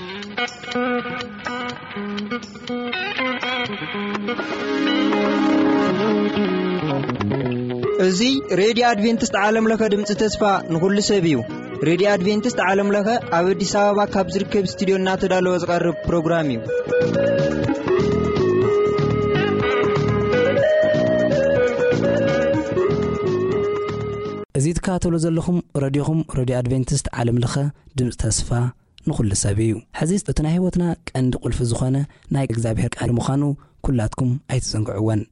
እዚ ሬድዮ ኣድቬንቲስት ዓለም ለኸ ድምፂ ተስፋ ንኹሉ ሰብ እዩ። ሬድዮ ኣድቬንቲስት ዓለም ለኸ ኣብ ኣዲስ ኣበባ ካብ ዝርከብ ስቱዲዮ እናተዳለወ ዝቐርብ ፕሮግራም እዩ። እዚ ትከታተሉ ዘለኹም ረድዮኹም ሬድዮ ኣድቬንቲስት ዓለም ለኸ ድምፂ ተስፋ ንኹሉ ሰብ እዩ። ሕዚ እቲ ናይ ህይወትና ቀንዲ ቁልፊ ዝኾነ ናይ እግዚኣብሔር ቃል ምዃኑ ኩላትኩም ኣይትዘንግዕወን።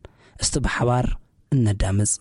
እስቲ ብሓባር እነዳምፅ።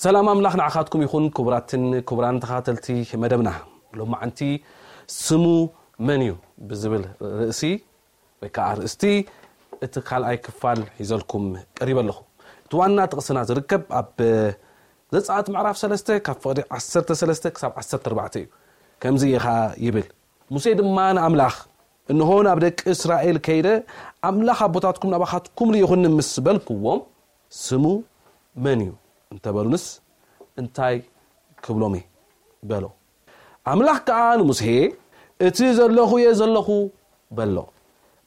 ሰላም ኣምላኽ ንዓኻትኩም ይኹን። ክቡራትን ክቡራን ተኸታተልቲ መደብና፣ ሎማዓንቲ ስሙ መን እዩ ብዝብል ርእሲ ወይ ከዓ ኣርእስቲ እቲ ካልኣይ ክፋል ሒዘልኩም ቀሪበ ኣለኹ። እቲ ዋና ጥቕስና ዝርከብ ኣብ ዘጸኣት ምዕራፍ ሰለስተ ካብ ፍቕዲ ዓሰርተ ሰለስተ ክሳብ ዓሰርተ ኣርባዕተ እዩ። ከምዚ ኢኻ ይብል፣ ሙሴ ድማ ንኣምላኽ፣ እንሆ ናብ ደቂ እስራኤል ከይደ፣ ኣምላኽ ኣቦታትኩም ናባኻትኩም ልኢኹኒ ምስ በልክዎም፣ ስሙ መን እዩ እንተበሉንስ እንታይ ክብሎም እየ በሎ። ኣምላኽ ከኣ ንሙሴ፣ እቲ ዘለኹ እየ ዘለኹ በሎ።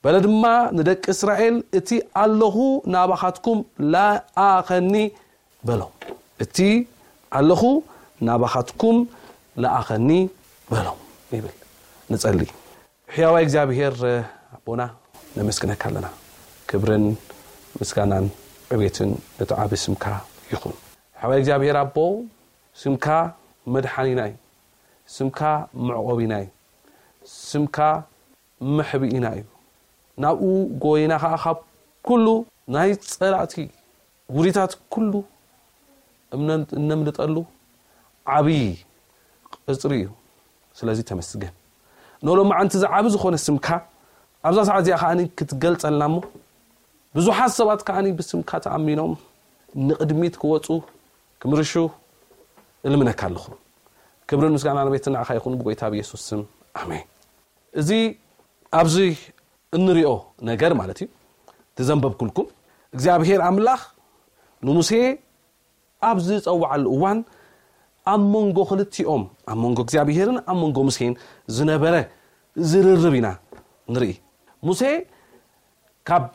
በለ ድማ ንደቂ እስራኤል፣ እቲ ኣለኹ ናባኻትኩም ለኣኸኒ በሎ። እቲ ኣለኹ ናባኻትኩም ለኣኸኒ በሎ ይብል። ንጸሊ። ሕያዋይ እግዚኣብሔር ኣቦና፣ ነመስግነካ ኣለና። ክብርን ምስጋናን ዕቤትን ነቲ ዓቢ ስምካ ይኹን። ሕያዋይ እግዚኣብሔር ኣቦ፣ ስምካ መድሓኒና እዩ። ስምካ መዕቆቢና እዩ። ስምካ መሕብኢና እዩ። ናብኡ ጎይና ኸዓ ካብ ኩሉ ናይ ጸላእቲ ውዲታት ኩሉ እምነ-፣ እነምልጠሉ ዓብዪ ቅጽሪ እዩ። ስለዚ ተመስገን። ንሎማዓንቲ እዚ ዓቢ ዝኾነ ስምካ ኣብዛ ሰዓት እዚኣ ከዓኒ ክትገልጸልና እሞ፣ ብዙሓት ሰባት ከዓኒ ብስምካ ተኣሚኖም ንቕድሚት ክወጹ፣ ክምርሹ እልምነካ ኣለኹ። ክብርን ምስጋናን ቤትን ንዓኻ ይኹን ብጎይታ ብየሱስ ስም። ኣሜን። እዚ ኣብዚ እንሪኦ ነገር ማለት እዩ፣ እቲ ዘንበብኩልኩም፣ እግዚኣብሔር ኣምላኽ ንሙሴ ኣብ ዝጸውዓሉ እዋን ኣብ መንጎ ክልቲኦም፣ ኣብ መንጎ እግዚኣብሔርን ኣብ መንጎ ሙሴን ዝነበረ ዝርርብ ኢና ንርኢ። ሙሴ ካብ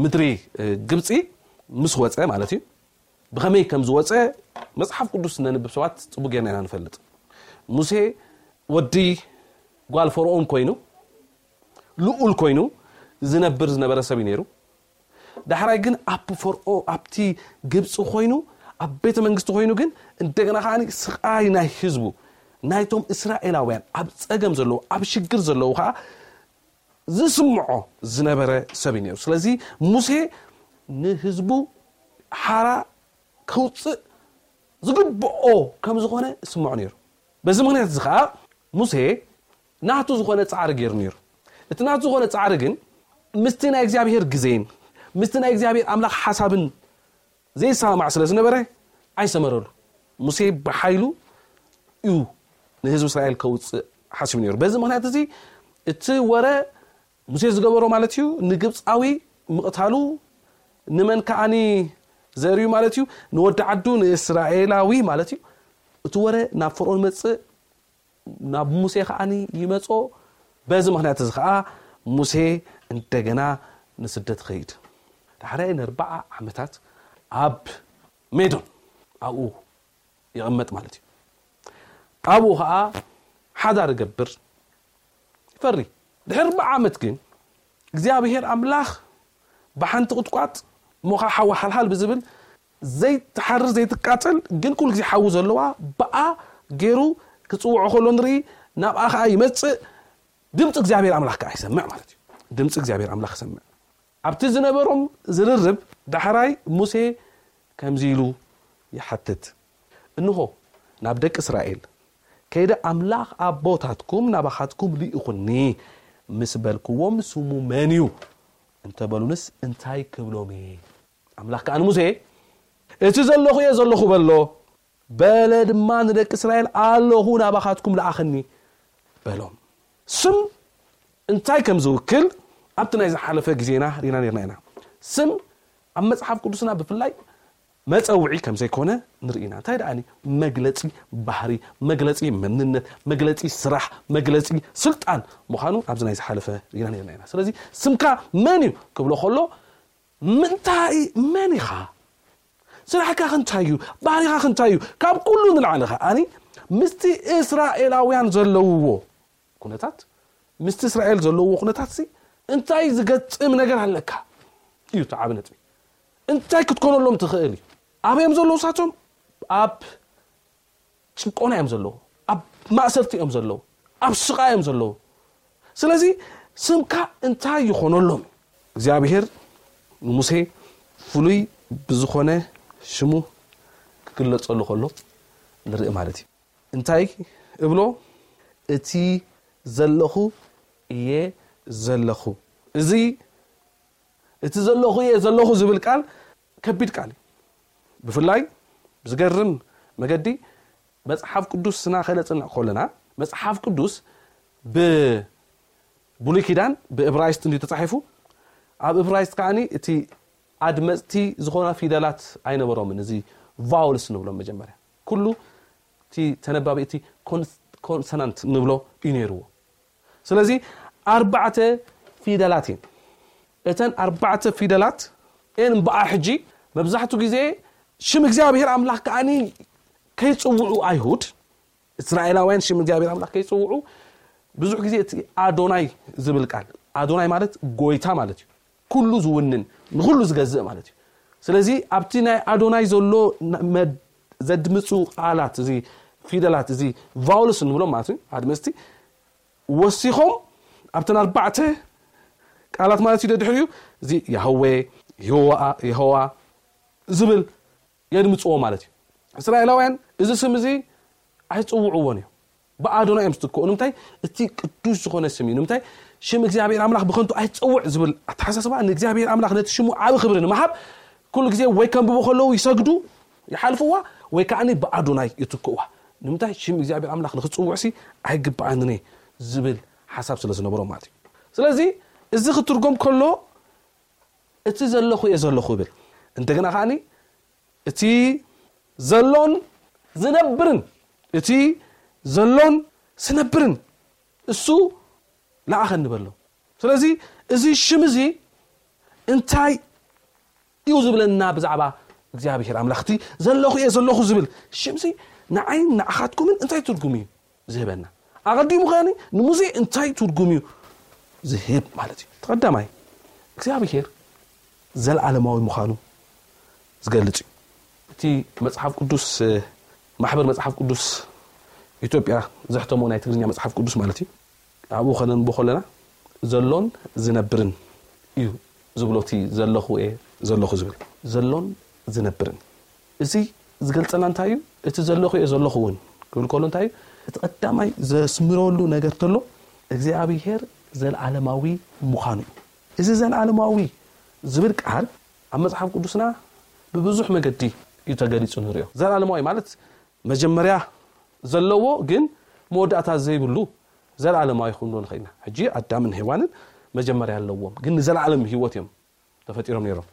ምድሪ ግብጺ ምስ ወጸ ማለት እዩ፣ ብኸመይ ከም ዝወጸ መጽሓፍ ቅዱስ ነንብብ ሰባት ጽቡቅ ጌርና ኢና ንፈልጥ። ሙሴ ወዲ ጓል ፈርኦን ኮይኑ፣ ልኡል ኮይኑ ዝነብር ዝነበረ ሰብ እዩ ነይሩ። ዳሕራይ ግን ኣብ ፈርኦ-፣ ኣብቲ ግብጺ ኮይኑ፣ ኣብ ቤተ መንግስቲ ኮይኑ ግን እንደገና ከዓኒ ስቓይ ናይ ህዝቡ፣ ናይቶም እስራኤላውያን ኣብ ጸገም ዘለዉ፣ ኣብ ሽግር ዘለዉ ከኣ ዝስምዖ ዝነበረ ሰብ እዩ ነይሩ። ስለዚ ሙሴ ንህዝቡ ሓራ ከውጽእ ዝግብኦ ከም ዝኾነ ዝስምዖ ነይሩ። በዚ ምኽንያት እዚ ኸኣ ሙሴ ናቱ ዝኾነ ጻዕሪ ገይሩ ነይሩ። እቲ ናቱ ዝኾነ ጻዕሪ ግን ምስቲ ናይ እግዚኣብሔር ግዜን ምስቲ ናይ እግዚኣብሔር ኣምላኽ ሓሳብን ዘይሰማማዕ ስለ ዝነበረ ኣይሰመረሉ። ሙሴ ብሓይሉ እዩ ንህዝቢ እስራኤል ከውጽእ ሓሲቡ ነይሩ። በዚ ምኽንያት እዚ እቲ ወረ ሙሴ ዝገበሮ ማለት እዩ፣ ንግብጻዊ ምቕታሉ ንመን ከዓኒ ዘርእዩ ማለት እዩ? ንወዲ ዓዱ ንእስራኤላዊ ማለት እዩ። እቲ ወረ ናብ ፈርኦን መጽእ፣ ናብ ሙሴ ከዓኒ ይመጾ። በዚ ምኽንያት እዚ ከኣ ሙሴ እንደገና ንስደት ይኸይድ። ዳሕራይ ንኣርብዓ ዓመታት ኣብ ሜዶን ኣብኡ ይቕመጥ ማለት እዩ። ኣብኡ ኸዓ ሓዳር ይገብር፣ ይፈሪ። ድሕሪ ኣርብዓ ዓመት ግን እግዚኣብሔር ኣምላኽ ብሓንቲ ቁጥቋጥ እሞ ኸዓ ሓዊ ሓልሓል ብዝብል ዘይትሓርር ዘይትቃጸል ግን ኩሉ ግዜ ሓዊ ዘለዋ ብኣ ገይሩ ክጽውዖ ከሎ ንርኢ። ናብኣ ኸዓ ይመጽእ፣ ድምፂ እግዚኣብሔር ኣምላኽ ከዓ ይሰምዕ ማለት እዩ። ድምፂ እግዚኣብሔር ኣምላኽ ይሰምዕ። ኣብቲ ዝነበሮም ዝርርብ ዳሕራይ ሙሴ ከምዚ ኢሉ ይሓትት፣ እንሆ ናብ ደቂ እስራኤል ከይደ ኣምላኽ ኣቦታትኩም ልኢኹኒ ምስ በልክዎም ስሙ መን እዩ እንተበሉንስ እንታይ ክብሎም እየ? ኣምላኽ ከዓ ንሙሴ እቲ ዘለኹ እየ ዘለኹ በሎ። በለ ድማ ንደቂ እስራኤል ኣለኹ ናባኻትኩም ለኣኸኒ በሎም። ስም እንታይ ከም ዝውክል ኣብቲ ናይ ዝሓለፈ ግዜና ሪና ነርና ኢና። ስም ኣብ መጽሓፍ ቅዱስና ብፍላይ መጸውዒ ከም ዘይኮነ ንርኢ ኢና። እንታይ ደኣኒ መግለጺ ባህሪ፣ መግለጺ መንነት፣ መግለጺ ስራሕ፣ መግለጺ ስልጣን ምዃኑ ኣብዚ ናይ ዝሓለፈ ሪና ነርና ኢና። ስለዚ ስምካ መን እዩ ክብሎ ከሎ ምንታይ መን ኢኻ? ስራሕካ ክንታይ እዩ? ባህሪኻ ክንታይ እዩ? ካብ ኩሉ ንላዕሊ ከዓኒ ምስቲ እስራኤላውያን ዘለውዎ ኩነታት፣ ምስቲ እስራኤል ዘለውዎ ኩነታት ሲ እንታይ ዝገጥም ነገር ኣለካ እዩ እቲ ዓቢ ነጥቢ። እንታይ ክትኮነሎም ትኽእል እዩ? ኣበዮም ዘለዉ ሳቶም ኣብ ጭቆና እዮም ዘለዉ፣ ኣብ ማእሰርቲ እዮም ዘለዉ፣ ኣብ ስቓይ እዮም ዘለዉ። ስለዚ ስምካ እንታይ ይኾነሎም? እግዚኣብሔር ንሙሴ ፍሉይ ብዝኾነ ሽሙ ክግለጸሉ ከሎ ንርኢ ማለት እዩ። እንታይ እብሎ? እቲ ዘለኹ እየ ዘለኹ። እዚ እቲ ዘለኹ እየ ዘለኹ ዝብል ቃል ከቢድ ቃል እዩ። ብፍላይ ብዝገርም መገዲ መጽሓፍ ቅዱስና ከነጽንዕ ከለና፣ መጽሓፍ ቅዱስ ብብሉይ ኪዳን ብእብራይስጥ እንዲዩ ተጻሒፉ። ኣብ እብራይስጥ ከዓኒ እቲ ኣድመጽቲ ዝኾና ፊደላት ኣይነበሮምን። እዚ ቫውልስ ንብሎም መጀመርያ። ኩሉ እቲ ተነባቢ እቲ ኮንስ-፣ ኮንሰናንት ንብሎ እዩ ነይርዎ። ስለዚ ኣርባዕተ ፊደላት እየን። እተን ኣርባዕተ ፊደላት እየን እምበኣር ሕጂ መብዛሕትኡ ግዜ ሽም እግዚኣብሔር ኣምላኽ ከዓኒ ከይጽውዑ ኣይሁድ፣ እስራኤላውያን ሽም እግዚኣብሔር ኣምላኽ ከይጽውዑ ብዙሕ ግዜ እቲ ኣዶናይ ዝብል ቃል፣ ኣዶናይ ማለት ጎይታ ማለት እዩ። ኩሉ ዝውንን፣ ንኹሉ ዝገዝእ ማለት እዩ። ስለዚ ኣብቲ ናይ ኣዶናይ ዘሎ ን-፣ መድ-፣ ዘድምፁ ቃላት፣ እዚ ፊደላት፣ እዚ ቫውልስ ንብሎም ማለት እዩ፣ ኣድመፅቲ ወሲኾም ኣብተን ኣርባዕተ ቃላት ማለት እዩ። ደድሕሪኡ እዚ ያህዌ፣ የሆዋ፣ የሆዋ ዝብል የድምፅዎ ማለት እዩ። እስራኤላውያን እዚ ስም እዚ ኣይፅውዕዎን እዮም። ብኣዶና እዮም ዝትክኡ። ንምንታይ? እቲ ቅዱስ ዝኾነ ስም እዩ። ንምንታይ? ሽም እግዚኣብሔር ኣምላኽ ብኸንቱ ኣይትፀውዕ ዝብል ኣተሓሳስባ ንእግዚኣብሔር ኣምላኽ ነቲ ሽሙ ዓቢ ክብሪ ንምሃብ ኩሉ ግዜ ወይ ከንብቡ ከለዉ ይሰግዱ፣ ይሓልፍዋ፣ ወይ ከዓኒ ብኣዶናይ ይትክእዋ። ንምንታይ? ሽም እግዚኣብሔር ኣምላኽ ንክፅውዕሲ ኣይግብኣንን እየ ዝብል ሓሳብ ስለ ዝነበሮም ማለት እዩ። ስለዚ እዚ ክትርጎም ከሎ እቲ ዘለኹ እየ ዘለኹ ይብል። እንደገና ከዓኒ እቲ ዘሎን ዝነብርን፣ እቲ ዘሎን ዝነብርን እሱ ለኣኸኒ በሎ። ስለዚ እዚ ሽም እዚ እንታይ እዩ ዝብለና ብዛዕባ እግዚኣብሔር ኣምላኽ? እቲ ዘለኹ እየ ዘለኹ ዝብል ሽም እዚ ንዓይን ንዓኻትኩምን እንታይ ትርጉም እዩ ዝህበና? ኣቐዲሙ ከዓኒ ንሙሴ እንታይ ትርጉም እዩ ዝህብ ማለት እዩ? እቲ ቀዳማይ፣ እግዚኣብሔር ዘለዓለማዊ ምዃኑ ዝገልጽ እዩ። እቲ መጽሓፍ ቅዱስ፣ ማሕበር መጽሓፍ ቅዱስ ኢትዮጵያ ዘሕተሞ ናይ ትግርኛ መጽሓፍ ቅዱስ ማለት እዩ። ኣብኡ ከነንብቦ ከለና ዘሎን ዝነብርን እዩ ዝብሎ፣ እቲ ዘለኹ እየ ዘለኹ ዝብል ዘሎን ዝነብርን። እዚ ዝገልጸልና እንታይ እዩ? እቲ ዘለኹ እየ ዘለኹ እውን ክብል ከሎ እንታይ እዩ? እቲ ቀዳማይ ዘስምረሉ ነገር ተሎ እግዚኣብሔር ዘለዓለማዊ ምዃኑ እዩ። እዚ ዘለዓለማዊ ዝብል ቃል ኣብ መጽሓፍ ቅዱስና ብብዙሕ መገዲ እዩ ተገሊጹ ንሪኦ። ዘለዓለማዊ ማለት መጀመርያ ዘለዎ ግን መወዳእታ ዘይብሉ ዘለዓለማዊ ክንብሎ ንኽእል ኢና። ሕጂ ኣዳምን ሄዋንን መጀመርያ ኣለዎም፣ ግን ንዘለዓለም ህይወት እዮም ተፈጢሮም ነይሮም።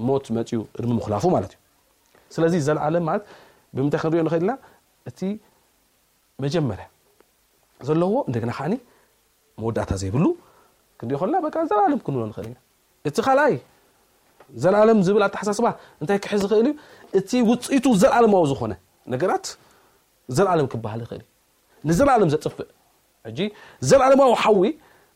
ሞት መጺኡ ቅድሚ ምኹላፉ ማለት እዩ። ስለዚ ዘለዓለም ማለት ብምንታይ ክንሪኦ ንኽእል ኢና? እቲ መጀመርያ ዘለዎ እንደገና ከዓኒ መወዳእታ ዘይብሉ ክንሪኦ ከለና በቃ ዘለዓለም ክንብሎ ንኽእል ኢና። እቲ ካልኣይ ዘለዓለም ዝብል ኣተሓሳስባ እንታይ ክሕዝ ይኽእል እዩ? እቲ ውፅኢቱ ዘለዓለማዊ ዝኾነ ነገራት ዘለዓለም ክበሃል ይኽእል እዩ። ንዘለዓለም ዘጥፍእ። ሕጂ ዘለዓለማዊ ሓዊ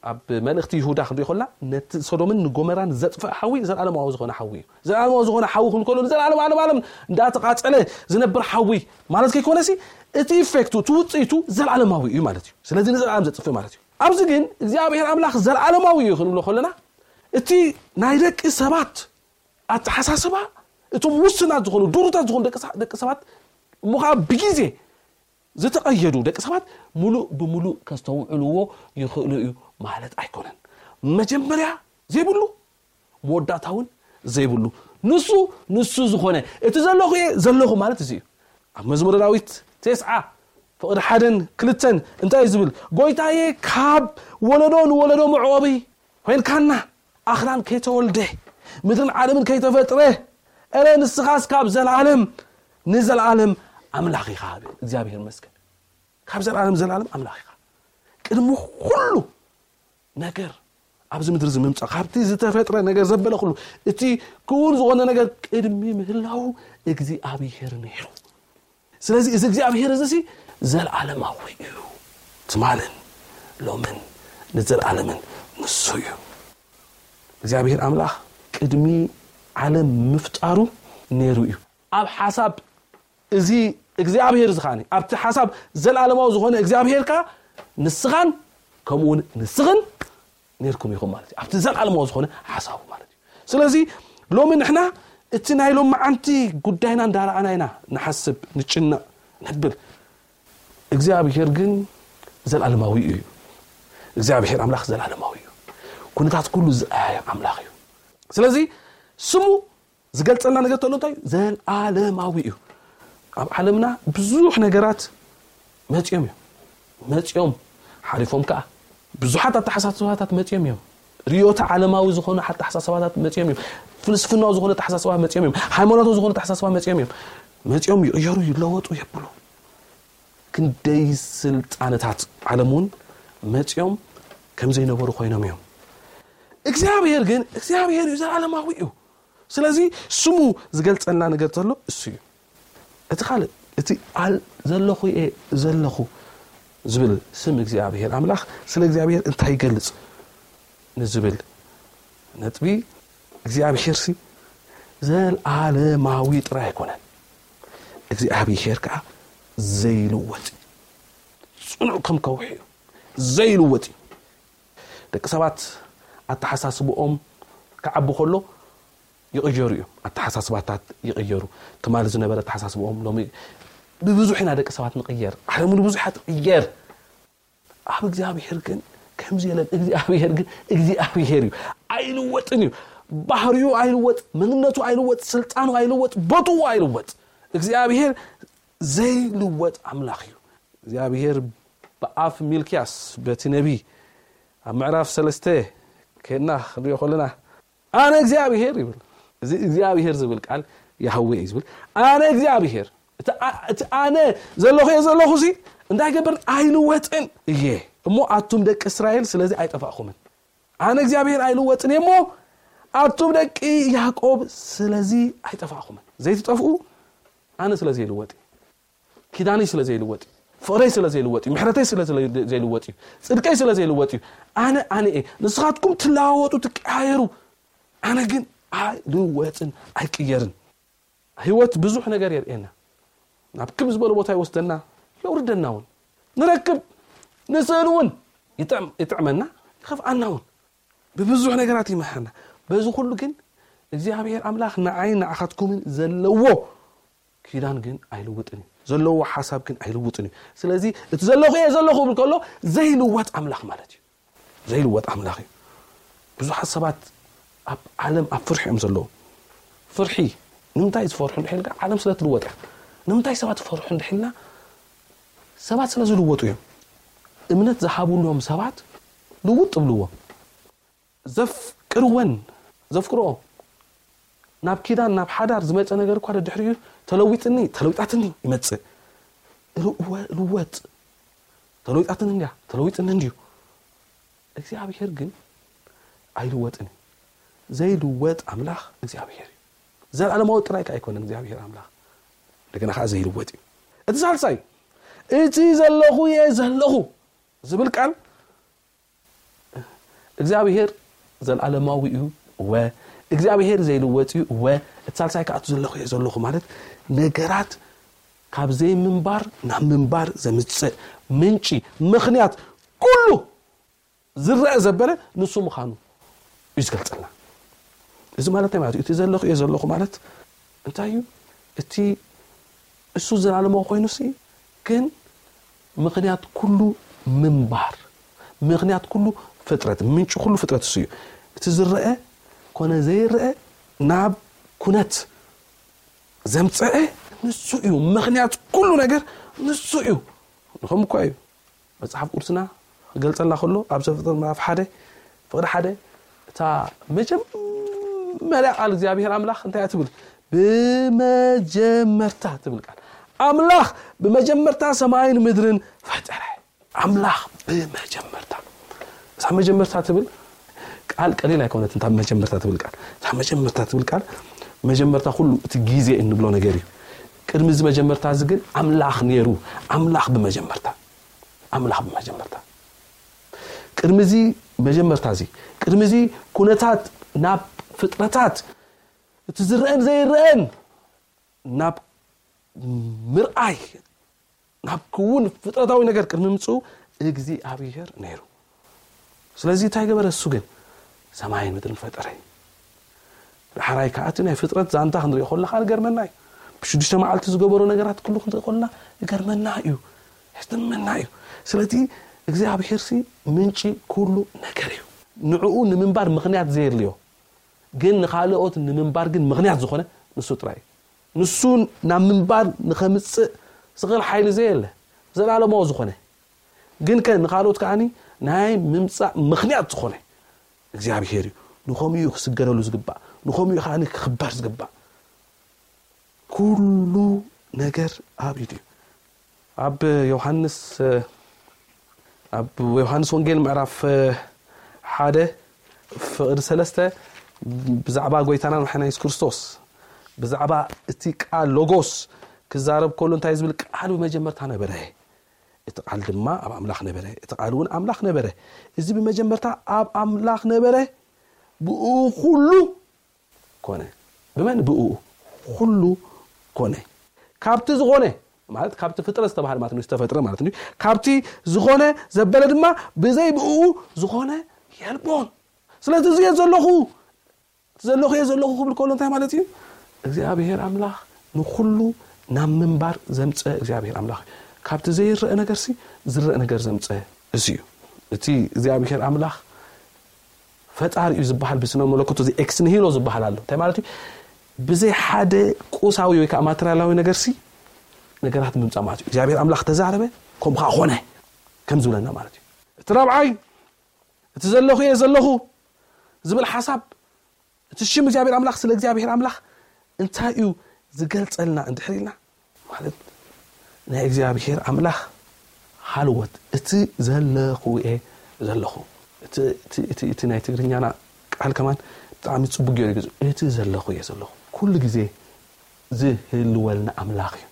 ኣብ መልእኽቲ ይሁዳ ክንሪኦ ከለና ነቲ ሶዶምን ንጎመራን ዘጥፍእ ሓዊ ዘለዓለማዊ ዝኾነ ሓዊ እዩ። ዘለዓለማዊ ዝኾነ ሓዊ ክንብል ከሎ ንዘለዓለም ዓለም ዓለም እንዳተቃጸለ ዝነብር ሓዊ ማለት ከይኮነሲ እቲ ኢፌክቱ፣ እቲ ውፅኢቱ ዘለዓለማዊ እዩ ማለት እዩ። ስለዚ ንዘለዓለም ዘጥፍእ ማለት እዩ። ኣብዚ ግን እግዚኣብሔር ኣምላኽ ዘለዓለማዊ እዩ ክንብሎ ከለና እቲ ናይ ደቂ ሰባት ኣተሓሳስባ፣ እቶም ውስናት ዝኾኑ ድሩታት ዝኾኑ ደቂ ሰ-፣ ደቂ ሰባት እሞ ከዓ ብግዜ ዝተቐየዱ ደቂ ሰባት ሙሉእ ብሙሉእ ከስተውዕልዎ ይኽእሉ እዩ ማለት ኣይኮነን። መጀመርያ ዘይብሉ መወዳእታ እውን ዘይብሉ ንሱ፣ ንሱ ዝኾነ እቲ ዘለኹ እየ ዘለኹ ማለት እዚ እዩ። ኣብ መዝሙረ ዳዊት ተስዓ ፍቕዲ ሓደን ክልተን እንታይ እዩ ዝብል? ጎይታዬ ካብ ወለዶ ንወለዶ መዕቆቢ ኮይንካና፣ ኣኽራን ከይተወልደ ምድርን ዓለምን ከይተፈጥረ፣ እረ ንስኻስ ካብ ዘለዓለም ንዘለዓለም ኣምላኽ ኢኻ። እግዚኣብሔር ይመስገን። ካብ ዘለዓለም ዘላለም ኣምላኽ ኢኻ። ቅድሚ ኩሉ ነገር ኣብዚ ምድሪ እዚ ምምጻእ፣ ካብቲ ዝተፈጥረ ነገር ዘበለ ኩሉ፣ እቲ ክውን ዝኾነ ነገር ቅድሚ ምህላው እግዚኣብሔር ነይሩ። ስለዚ እዚ እግዚኣብሔር እዚ ሲ ዘለዓለማዊ እዩ። ትማልን ሎምን ንዘለዓለምን ንሱ እዩ። እግዚኣብሔር ኣምላኽ ቅድሚ ዓለም ምፍጣሩ ነይሩ እዩ። ኣብ ሓሳብ እዚ እግዚኣብሔር እዚ ከዓኒ ኣብቲ ሓሳብ ዘለዓለማዊ ዝኾነ እግዚኣብሔር ከኣ ንስኻን ከምኡ እውን ንስኽን ነርኩም ኢኹም ማለት እዩ። ኣብቲ ዘለዓለማዊ ዝኾነ ሓሳቡ ማለት እዩ። ስለዚ ሎሚ ንሕና እቲ ናይ ሎመዓንቲ ጉዳይና እንዳረኣና ኢና ንሓስብ፣ ንጭነቕ፣ ነብል። እግዚኣብሔር ግን ዘላለማዊ እዩ። እግዚኣብሔር ኣምላኽ ዘላለማዊ እዩ። ኩነታት ኩሉ ዝኣየ ኣምላኽ እዩ። ስለዚ ስሙ ዝገልጸልና ነገር ተሎ እንታይ እዩ? ዘላለማዊ እዩ። ኣብ ዓለምና ብዙሕ ነገራት መጽዮም እዮም። መጽዮም ሓሊፎም ከኣ ብዙሓት ኣተሓሳስባታት መጽዮም እዮም። ርዮተ ዓለማዊ ዝኾነ ኣተሓሳስባታት መጽዮም እዮም። ፍልስፍናዊ ዝኾነ ኣተሓሳስባ መጽዮም እዮም። ሃይማኖታዊ ዝኾነ ኣተሓሳስባ መጽዮም እዮም። መጽዮም ይቕየሩ፣ ይለወጡ፣ የብሉ። ክንደይ ስልጣነታት ዓለም እውን መጽዮም ከም ዘይነበሩ ኮይኖም እዮም። እግዚኣብሔር ግን እግዚኣብሔር እዩ፣ ዘላለማዊ እዩ። ስለዚ ስሙ ዝገልጸልና ነገር ዘሎ እሱ እዩ። እቲ ካልእ፣ እቲ ኣል-፣ ዘለኹ እየ ዘለኹ ዝብል ስም እግዚኣብሔር ኣምላኽ ስለ እግዚኣብሔር እንታይ ይገልጽ ንዝብል ነጥቢ፣ እግዚኣብሔር ሲ ዘላለማዊ ጥራይ ኣይኮነን። እግዚኣብሔር ከዓ ዘይልወጥ እዩ። ጽኑዕ ከም ከውሒ እዩ። ዘይልወጥ እዩ። ደቂ ሰባት ኣተሓሳስብኦም ክዓቢ ከሎ ይቕየሩ እዮም። ኣተሓሳስባታት ይቕየሩ። ትማሊ ዝነበረ ኣተሓሳስብኦም ሎሚ ብብዙሕ ኢና ደቂ ሰባት ንቕየር። ዓለም እውን ብዙሓ ትቕየር። ኣብ እግዚኣብሔር ግን ከምዚ የለን። እግዚኣብሔር ግን እግዚኣብሔር እዩ። ኣይልወጥን እዩ። ባህሪኡ ኣይልወጥ፣ መንነቱ ኣይልወጥ፣ ስልጣኑ ኣይልወጥ፣ ቦትኡ ኣይልወጥ። እግዚኣብሔር ዘይልወጥ ኣምላኽ እዩ። እግዚኣብሔር ብኣፍ ሚልክያስ በቲ ነቢ ኣብ ምዕራፍ ሰለስተ ከድና ክንሪኦ ከለና ኣነ እግዚኣብሔር ይብል። እዚ እግዚኣብሔር ዝብል ቃል ያህዌ እዩ ዝብል። ኣነ እግዚኣብሔር፣ እቲ ኣ-፣ እቲ ኣነ ዘለኹ እየ ዘለኹ ሲ እንታይ ገብርን ኣይልወጥን እየ። እሞ ኣቱም ደቂ እስራኤል ስለዚ ኣይጠፋእኹምን። ኣነ እግዚኣብሔር ኣይልወጥን እየ እሞ ኣቱም ደቂ ያዕቆብ ስለዚ ኣይጠፋእኹምን። ዘይትጠፍኡ ኣነ ስለዚ ይልወጥ እዩ። ኪዳነይ ስለ ዘይልወጥ እዩ። ፍቕረይ ስለ ዘይልወጥ እዩ። ምሕረተይ ስለ ዘለ-፣ ዘይልወጥ እዩ። ጽድቀይ ስለ ዘይልወጥ እዩ። ኣነ ኣነ እየ። ንስኻትኩም ትለዋወጡ፣ ትቀያየሩ። ኣነ ግን ኣይልወጥን፣ ኣይቅየርን። ህይወት ብዙሕ ነገር የርእየና። ናብ ክብ ዝበለ ቦታ ይወስደና፣ የውርደና እውን። ንረክብ፣ ንስእል እውን። ይጥዕም-፣ ይጥዕመና፣ ይኸፍኣና እውን። ብብዙሕ ነገራት ይመሃና። በዚ ኩሉ ግን እግዚኣብሔር ኣምላኽ ንዓይን ንዓኻትኩምን ዘለዎ ኪዳን ግን ኣይልውጥን እዩ። ዘለዎ ሓሳብ ግን ኣይልውጥን እዩ። ስለዚ እቲ ዘለኹ እየ ዘለኹ ክብል ከሎ ዘይልወጥ ኣምላኽ ማለት እዩ። ዘይልወጥ ኣምላኽ እዩ። ብዙሓት ሰባት ኣብ ዓለም ኣብ ፍርሒ እዮም ዘለዉ። ፍርሒ፣ ንምንታይ ዝፈርሑ እንድሕር ኢልካ፣ ዓለም ስለ ትልወጥ እያ። ንምንታይ ሰባት ይፈርሑ እንድሕር ኢልና፣ ሰባት ስለ ዝልወጡ እዮም። እምነት ዝሃብሎም ሰባት ልውጥ ይብልዎም። ዘፍቅርወን፣ ዘፍቅርኦ፣ ናብ ኪዳን፣ ናብ ሓዳር ዝመጸ ነገር እኳ ደድሕሪኡ ተለዊጥኒ፣ ተለዊጣትኒ ይመጽእ። ልወ-፣ ልወጥ። ተለዊጣትኒ እንድያ፣ ተለዊጥኒ እንድዩ። እግዚኣብሔር ግን ኣይልወጥን እዩ። ዘይልወጥ ኣምላኽ እግዚኣብሔር እዩ። ዘላለማዊ ጥራይ ከኣ ኣይኮነን እግዚኣብሔር ኣምላኽ። እንደገና ከኣ ዘይልወጥ እዩ። እቲ ሳልሳይ፣ እቲ ዘለኹ እየ ዘለኹ ዝብል ቃል እግዚኣብሔር ዘላለማዊ እዩ፣ እወ። እግዚኣብሔር ዘይልወጥ እዩ፣ እወ። እቲ ሳልሳይ ከኣ እቲ ዘለኹ እየ ዘለኹ ማለት ነገራት ካብ ዘይምንባር ናብ ምንባር ዘምጽእ ምንጪ፣ ምኽንያት ኩሉ ዝረአ ዘበለ ንሱ ምዃኑ እዩ ዝገልጸልና። እዚ ማለት እንታይ ማለት እዩ? እቲ ዘለኹ እየ ዘለኹ ማለት እንታይ እዩ? እቲ እሱ ዘላለማዊ ኮይኑሲ ግን ምኽንያት ኩሉ ምንባር፣ ምኽንያት ኩሉ ፍጥረት፣ ምንጪ ኩሉ ፍጥረት እሱ እዩ። እቲ ዝረአ ኮነ ዘይረአ ናብ ኩነት ዘምፀአ ንሱ እዩ። ምኽንያት ኩሉ ነገር ንሱ እዩ። ንኸም እኳ እዩ መጽሓፍ ቅዱስና ክገልጸልና ከሎ ኣብ ዘፍጥረት ምዕራፍ ሓደ ፍቕዲ ሓደ እታ መጀመርያ ቃል እግዚኣብሔር ኣምላኽ እንታይ እያ ትብል? ብመጀመርታ ትብል ቃል። ኣምላኽ ብመጀመርታ ሰማይን ምድርን ፈጠረ። ኣምላኽ ብመጀመርታ። እዛ መጀመርታ ትብል ቃል ቀሊል ኣይኮነትን። እታ መጀመርታ ትብል ቃል፣ እታ መጀመርታ ትብል ቃል፣ መጀመርታ ኩሉ እቲ ግዜ እንብሎ ነገር እዩ። ቅድሚ እዚ መጀመርታ እዚ ግን ኣምላኽ ነይሩ። ኣምላኽ ብመጀመርታ፣ ኣምላኽ ብመጀመርታ። ቅድሚ እዚ መጀመርታ እዚ፣ ቅድሚ እዚ ኩነታት ናብ ፍጥረታት፣ እቲ ዝረአን ዘይረአን ናብ ምርኣይ፣ ናብ ክውን ፍጥረታዊ ነገር ቅድሚ ምጽኡ እግዚኣብሔር ነይሩ። ስለዚ እንታይ ገበረ? እሱ ግን ሰማይን ምድርን ፈጠረ። ዳሕራይ ከዓ እቲ ናይ ፍጥረት ዛንታ ክንሪኦ ከለና ከዓ ይገርመና እዩ። ብሽዱሽተ መዓልቲ ዝገበሮ ነገራት ኩሉ ክንርኢ ከለና ይገርመና እዩ፣ ይገርመና እዩ። ስለዚ እግዚኣብሔር ሲ ምንጪ ኩሉ ነገር እዩ። ንዕኡ ንምንባር ምኽንያት ዘየድልዮ ግን ንኻልኦት ንምንባር ግን ምኽንያት ዝኾነ ንሱ ጥራይ እዩ። ንሱ ናብ ምንባር ንኸምፅእ ዝኽእል ሓይሊ ዘየለ፣ ዘለኣለማዊ ዝኾነ፣ ግን ከ ንኻልኦት ከዓኒ ናይ ምምፃእ ምኽንያት ዝኾነ እግዚኣብሔር እዩ። ንኸምኡ እዩ ክስገደሉ ዝግባእ፣ ንኸምኡ እዩ ከዓኒ ክኽበር ዝግባእ። ኩሉ ነገር ኣብ ኢዱ እዩ። ኣብ ዮሃንስ ኣብ ዮሃንስ ወንጌል ምዕራፍ ሓደ ፍቕዲ ሰለስተ ብዛዕባ ጎይታና መሓና የሱስ ክርስቶስ ብዛዕባ እቲ ቃል ሎጎስ ክዛረብ ከሎ እንታይ ዝብል? ቃል ብመጀመርታ ነበረ፣ እቲ ቃል ድማ ኣብ ኣምላኽ ነበረ፣ እቲ ቃል እውን ኣምላኽ ነበረ። እዚ ብመጀመርታ ኣብ ኣምላኽ ነበረ፣ ብኡ ኩሉ ኮነ። ብመን? ብኡ ኩሉ ኮነ። ካብቲ ዝኾነ ማለት ካብቲ ፍጥረት ዝተባህለ ማለት ነው፣ ዝተፈጥረ ማለት ነው። ካብቲ ዝኾነ ዘበለ ድማ ብዘይ ብኡ ዝኾነ የልቦን። ስለዚ እዚ እየ ዘለኹ፣ እቲ ዘለኹ እየ ዘለኹ ክብል ከሎ እንታይ ማለት እዩ? እግዚኣብሔር ኣምላኽ ንኹሉ ናብ ምንባር ዘምፀ እግዚኣብሔር ኣምላኽ እዩ። ካብቲ ዘይረአ ነገርሲ ዝረአ ነገር ዘምፀ እዚ እዩ። እቲ እግዚኣብሔር ኣምላኽ ፈጣሪ እዩ ዝበሃል ብስነ መለኮት እዚ ኤክስ ንሂሎ ዝበሃል ኣሎ። እንታይ ማለት እዩ? ብዘይ ሓደ ቁሳዊ ወይ ከዓ ማቴሪያላዊ ነገርሲ ነገራት ምምፃእ ማለት እዩ። እግዚኣብሔር ኣምላኽ ተዛረበ፣ ከምኡ ከዓ ኾነ ከም ዝብለና ማለት እዩ። እቲ ራብዓይ እቲ ዘለኹ እየ ዘለኹ ዝብል ሓሳብ፣ እቲ ሽም እግዚኣብሔር ኣምላኽ ስለ እግዚኣብሔር ኣምላኽ እንታይ እዩ ዝገልጸልና እንድሕር ኢልና ማለት ናይ እግዚኣብሔር ኣምላኽ ሃልወት እቲ ዘለኹ እየ ዘለኹ። እቲ ናይ ትግርኛና ቃል ከማን ብጣዕሚ ጽቡቅ ገይሩ ይገዝ። እቲ ዘለኹ እየ ዘለኹ ኩሉ ግዜ ዝህልወልና ኣምላኽ እዩ።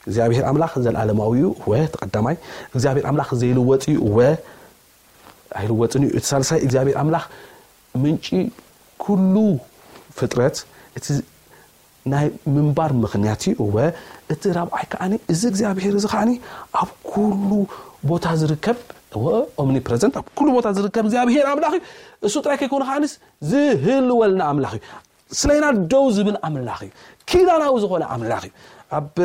እግዚኣብሔር ኣምላኽ ዘለዓለማዊ እዩ፣ ወ ተቐዳማይ። እግዚኣብሔር ኣምላኽ ዘይልወጥ እዩ፣ ወ ኣይልወጥን እዩ። እቲ ሳልሳይ እግዚኣብሔር ኣምላኽ ምንጪ ኩሉ ፍጥረት፣ እቲ ናይ ምንባር ምኽንያት እዩ፣ ወ እቲ ራብዓይ ከዓኒ እዚ እግዚኣብሔር እዚ ከዓኒ ኣብ ኩሉ ቦታ ዝርከብ፣ ወ ኦምኒፕረዘንት፣ ኣብ ኩሉ ቦታ ዝርከብ እግዚኣብሔር ኣምላኽ እዩ። እሱ ጥራይ ከይኮነ ከዓኒስ ዝህልወልና ኣምላኽ እዩ። ስለና ደው ዝብል ኣምላኽ እዩ። ኪዳናዊ ዝኾነ ኣምላኽ እዩ። ኣብ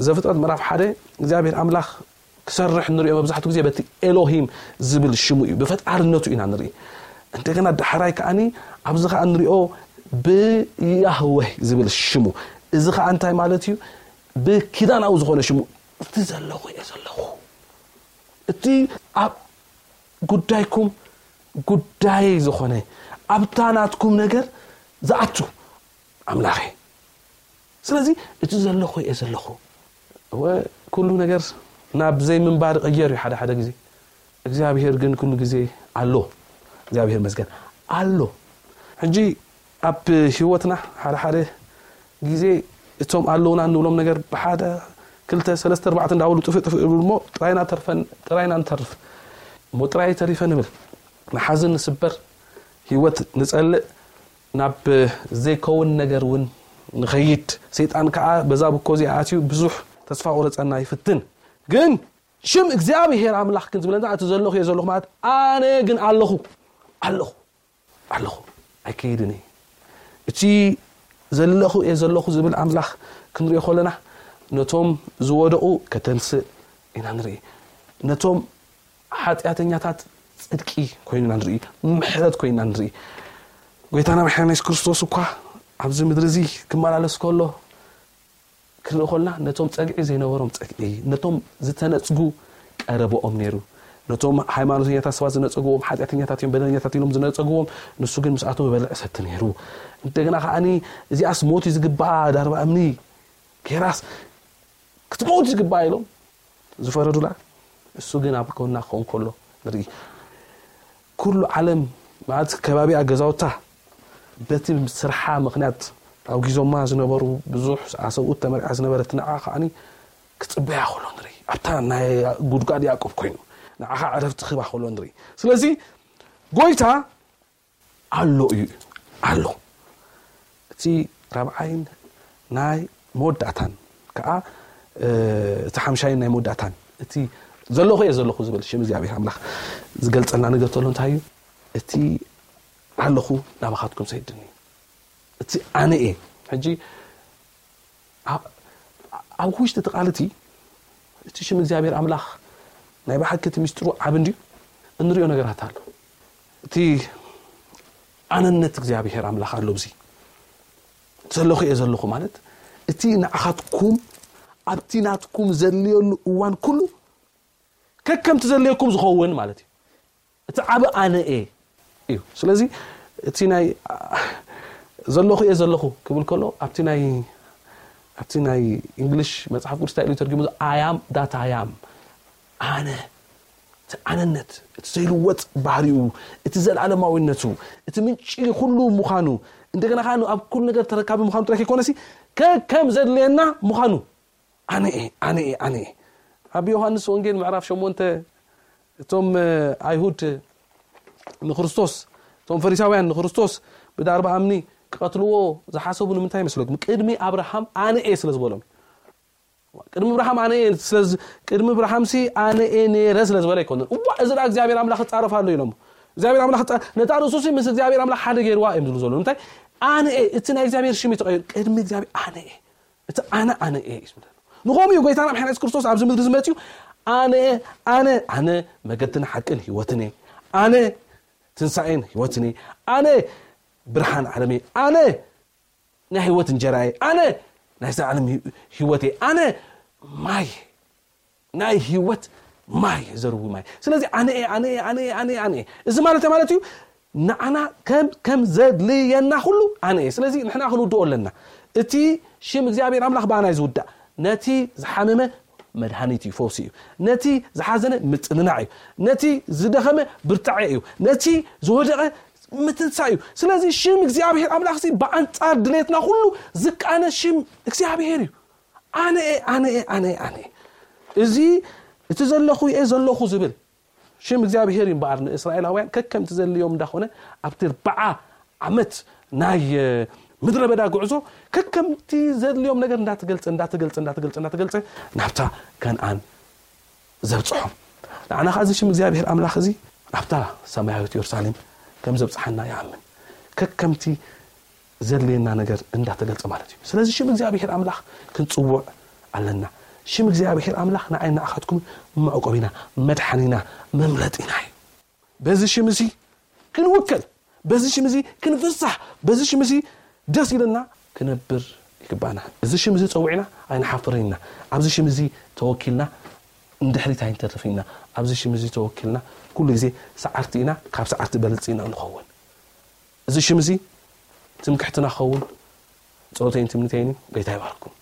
ዘፍጥረት ምዕራፍ ሓደ እግዚኣብሔር ኣምላኽ ክሰርሕ ንሪኦ መብዛሕትኡ ግዜ በቲ ኤሎሂም ዝብል ሽሙ እዩ፣ ብፈጣርነቱ ኢና ንርኢ። እንደገና ዳሕራይ ከዓኒ ኣብዚ ከዓ ንሪኦ ብያህዌህ ዝብል ሽሙ። እዚ ከዓ እንታይ ማለት እዩ? ብኪዳናዊ ዝኾነ ሽሙ እቲ ዘለኹ እየ ዘለኹ። እቲ ኣብ ጉዳይኩም ጉዳይ ዝኾነ ኣብታ ናትኩም ነገር ዝኣቱ ኣምላኽ እየ። ስለዚ እቲ ዘለኹ እየ ዘለኹ። እወ፣ ኩሉ ነገር ናብ ዘይምንባር ይቕየር እዩ ሓደ ሓደ ግዜ። እግዚኣብሔር ግን ኩሉ ግዜ ኣሎ። እግዚኣብሔር መስገን ኣሎ። ሕጂ ኣብ ህይወትና ሓደ ሓደ ግዜ እቶም ኣለውና እንብሎም ነገር ብሓደ ክልተ ሰለስተ ኣርባዕተ እንዳበሉ ጥፍእ ጥፍእ ይብሉ እሞ ጥራይና ተርፈን ጥራይና ንተርፍ እሞ ጥራይ ተሪፈ ንብል። ንሓዝን ንስበር፣ ህይወት ንጸልእ፣ ናብ ዘይከውን ነገር እውን ንኸይድ። ሰይጣን ከዓ በዛ ብኮ እዚኣ ኣትዩ ብዙሕ ተስፋ ቁረጸና ይፍትን። ግን ሽም እግዚኣብሔር ኣምላኽ ግን ዝብለና እቲ ዘለኹ እየ ዘለኹ ማለት ኣነ ግን ኣለኹ ኣለኹ ኣለኹ ኣይከይድን እየ። እቲ ዘለኹ እየ ዘለኹ ዝብል ኣምላኽ ክንሪኦ ከለና ነቶም ዝወደቑ ከተንስእ ኢና ንርኢ። ነቶም ሓጢኣተኛታት ጽድቂ ኮይኑ ኢና ንርኢ፣ ምሕረት ኮይኑ ኢና ንርኢ። ጎይታና መድሓኒና የሱስ ክርስቶስ እኳ ኣብዚ ምድሪ እዚ ክመላለስ ከሎ ክንርኢ ከለና ነቶም ጸግዒ ዘይነበሮም ጸግዒ፣ ነቶም ዝተነጽጉ ቀረበኦም ነይሩ። ነቶም ሃይማኖተኛታት ሰባት ዝነጸግዎም፣ ሓጢኣተኛታት እዮም በደለኛታት ኢሎም ዝነጸግዎም፣ ንሱ ግን ምስኣቶም ይበልዕ ሰቲ ነይሩ። እንደገና ከዓኒ እዚኣስ ሞት እዩ ዝግባኣ፣ ዳርባ እምኒ ጌራስ ክትመውት ዝግባኣ ኢሎም ዝፈረዱላ፣ እሱ ግን ኣብ ጎና ክኸውን ከሎ ንርኢ። ኩሉ ዓለም ማለት ከባቢኣ ገዛውታ በቲ ስርሓ ምኽንያት ኣውጊዞማ ዝነበሩ ብዙሕ ኣሰብኡት ተመርዓ ዝነበረት ንዓ ከዓኒ ክጽበያ ከሎ ንርኢ። ኣብታ ናይ ጉድጓድ ያዕቆብ ኮይኑ ንዓኻ ዕረፍቲ ክህባ ከሎ ንርኢ። ስለዚ ጎይታ ኣሎ እዩ ኣሎ። እቲ ራብዓይን ናይ መወዳእታን ከዓ እቲ ሓምሻይን ናይ መወዳእታን እቲ ዘለኹ እየ ዘለኹ ዝብል ሽም እግዚኣብሔር ኣምላኽ ዝገልጸልና ነገር ተሎ እንታይ እዩ? እቲ ኣለኹ ናባኻትኩም ሰይድኒ እቲ ኣነ እየ። ሕጂ ኣብ ውሽጢ እቲ ቃል እቲ፣ እቲ ሽም እግዚኣብሔር ኣምላኽ ናይ ብሓቂ እቲ ሚስጥሩ ዓብ እንድዩ። እንሪኦ ነገራት ኣሎ። እቲ ኣነነት እግዚኣብሔር ኣምላኽ ኣሎ። ብዚ ዘለኹ እየ ዘለኹ ማለት፣ እቲ ንዓኻትኩም ኣብቲ ናትኩም ዘድልየሉ እዋን ኩሉ ከከምቲ ዘድልየኩም ዝኸውን ማለት እዩ። እቲ ዓብ ኣነ እየ እዩ። ስለዚ እቲ ናይ ዘለኹ እየ ዘለኹ ክብል ከሎ፣ ኣብቲ ናይ ኣብቲ ናይ እንግሊሽ መጽሓፍ ቅዱስ እንታይ ኢሉ ተርጊሙ? ኣያም ዳት ኣያም፣ ኣነ፣ እቲ ኣነነት፣ እቲ ዘይልወጥ ባህሪኡ፣ እቲ ዘለኣለማዊነቱ፣ እቲ ምንጪ ኩሉ ምዃኑ፣ እንደገና ከዓ ኣብ ኩሉ ነገር ተረካቢ ምዃኑ ጥራይ ከይኮነሲ ከከም ዘድልየና ምዃኑ፣ ኣነ እየ፣ ኣነ እየ፣ ኣነ እየ። ኣብ ዮሃንስ ወንጌል ምዕራፍ ሸሞንተ እቶም ኣይሁድ ንክርስቶስ፣ እቶም ፈሪሳውያን ንክርስቶስ ብዳርባ ኣምኒ ክቐትልዎ ዝሓሰቡ ንምንታይ ይመስለኩም? ቅድሚ ኣብርሃም ኣነ እየ ስለ ዝበሎም። ቅድሚ ኣብርሃም ኣነ እየ ስለ ዝ- ቅድሚ ኣብርሃምሲ ኣነ እየ ነይረ ስለ ዝበለ ኣይኮነን። እዋ፣ እዚ ደኣ እግዚኣብሔር ኣምላኽ ክጻረፍ ኣሎ ኢሎም። እግዚኣብሔር ኣምላኽ ክጻ- ነታ ርእሱሲ ምስ እግዚኣብሔር ኣምላኽ ሓደ ገይርዋ እዮም ዝብሉ ዘለዉ። ንምንታይ? ኣነ እየ፣ እቲ ናይ እግዚኣብሔር ሽም እዩ ተቐይሩ። ቅድሚ እግዚኣብሔር ኣነ እየ፣ እቲ ኣነ ኣነ እየ እዩ ዝብለና። ንኸምኡ እዩ ጎይታና ምሕና የሱስ ክርስቶስ ኣብዚ ምድሪ ዝመፅኡ። ኣነ ኣነ ኣነ መገድን ሓቅን ህይወትን እየ፣ ኣነ ትንሳኤን ህይወትን እየ፣ ኣነ ብርሃን ዓለም እየ፣ ኣነ ናይ ህይወት እንጀራ እየ፣ ኣነ ናይ ዘላለም ህይወት እየ፣ ኣነ ማይ ናይ ህይወት ማይ ዘርዊ ማይ። ስለዚ ኣነ እየ፣ ኣነ እየ፣ ኣነ እየ፣ ኣነ እየ፣ ኣነ እየ። እዚ ማለት ማለት እዩ፣ ንዓና ከም ከም ዘድልየና ኩሉ ኣነ እየ። ስለዚ ንሕና ክንውድኦ ኣለና። እቲ ሽም እግዚኣብሔር ኣምላኽ ብኣና እዩ ዝውዳእ። ነቲ ዝሓመመ መድሃኒት እዩ፣ ፈውሲ እዩ። ነቲ ዝሓዘነ ምጽንናዕ እዩ። ነቲ ዝደኸመ ብርታዐ እዩ። ነቲ ዝወደቐ ምትንሳ እዩ። ስለዚ ሽም እግዚኣብሔር ኣምላኽ እዚ ብኣንጻር ድሌትና ኩሉ ዝቃነ ሽም እግዚኣብሔር እዩ። ኣነ እየ፣ ኣነ እየ፣ ኣነ እየ፣ ኣነ እየ። እዚ እቲ ዘለኹ እየ ዘለኹ ዝብል ሽም እግዚኣብሔር እዩ እምበኣር፣ ንእስራኤላውያን ከከምቲ ዘድልዮም እንዳኾነ ኣብቲ ኣርብዓ ዓመት ናይ ምድረ በዳ ጉዕዞ ከከምቲ ዘድልዮም ነገር እንዳተገልጸ እንዳተገልጸ እንዳተገልጸ እንዳተገልጸ ናብታ ከነኣን ዘብጽሖም። ንዓና ኸዓ እዚ ሽም እግዚኣብሔር ኣምላኽ እዚ ናብታ ሰማያዊት የሩሳሌም ከም ዘብጽሓና ይኣምን። ከከምቲ ዘድልየና ነገር እንዳተገልጸ ማለት እዩ። ስለዚ ሽም እግዚኣብሔር ኣምላኽ ክንጽውዕ ኣለና። ሽም እግዚኣብሔር ኣምላኽ ንዓይ ንዓኻትኩም መዕቆቢና፣ መድሓኒና፣ መምለጢና እዩ። በዚ ሽም እዚ ክንውከል፣ በዚ ሽም እዚ ክንፍሳሕ፣ በዚ ሽም እዚ ደስ ኢልና ክነብር ይግባና። እዚ ሽም እዚ ጸዊዕና ኣይንሓፍርን ኢና። ኣብዚ ሽም እዚ ተወኪልና ንድሕሪት ኣይንተርፍን ኢና። ኣብዚ ሽም እዚ ተወኪልና ኩሉ ግዜ ሰዓርቲ ኢና፣ ካብ ሰዓርቲ በልጽ ኢና ንኸውን። እዚ ሽም እዚ ትምክሕትና ክኸውን ጸሎተይን ትምኒተይን እዩ። ጎይታ ይባርኩም።